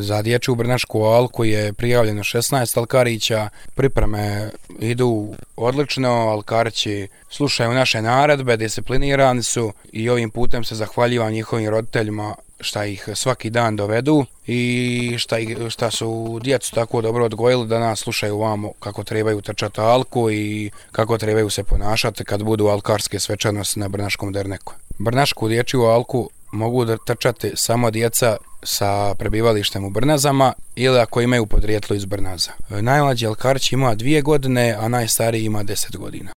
Za dječju Brnašku alku je prijavljeno 16 alkarića, pripreme idu odlično, alkarići slušaju naše naredbe, disciplinirani su i ovim putem se zahvaljivam njihovim roditeljima šta ih svaki dan dovedu i šta su djecu tako dobro odgojili da nas slušaju vamo kako trebaju trčati alku i kako trebaju se ponašati kad budu alkarske svečanosti na Brnaškom derneku. Brnašku dječju alku mogu trčati samo djeca sa prebivalištem u Brnazama ili ako imaju podrijetlo iz Brnaza. Najmlađi alkarić ima 2 godine, a najstariji ima 10 godina.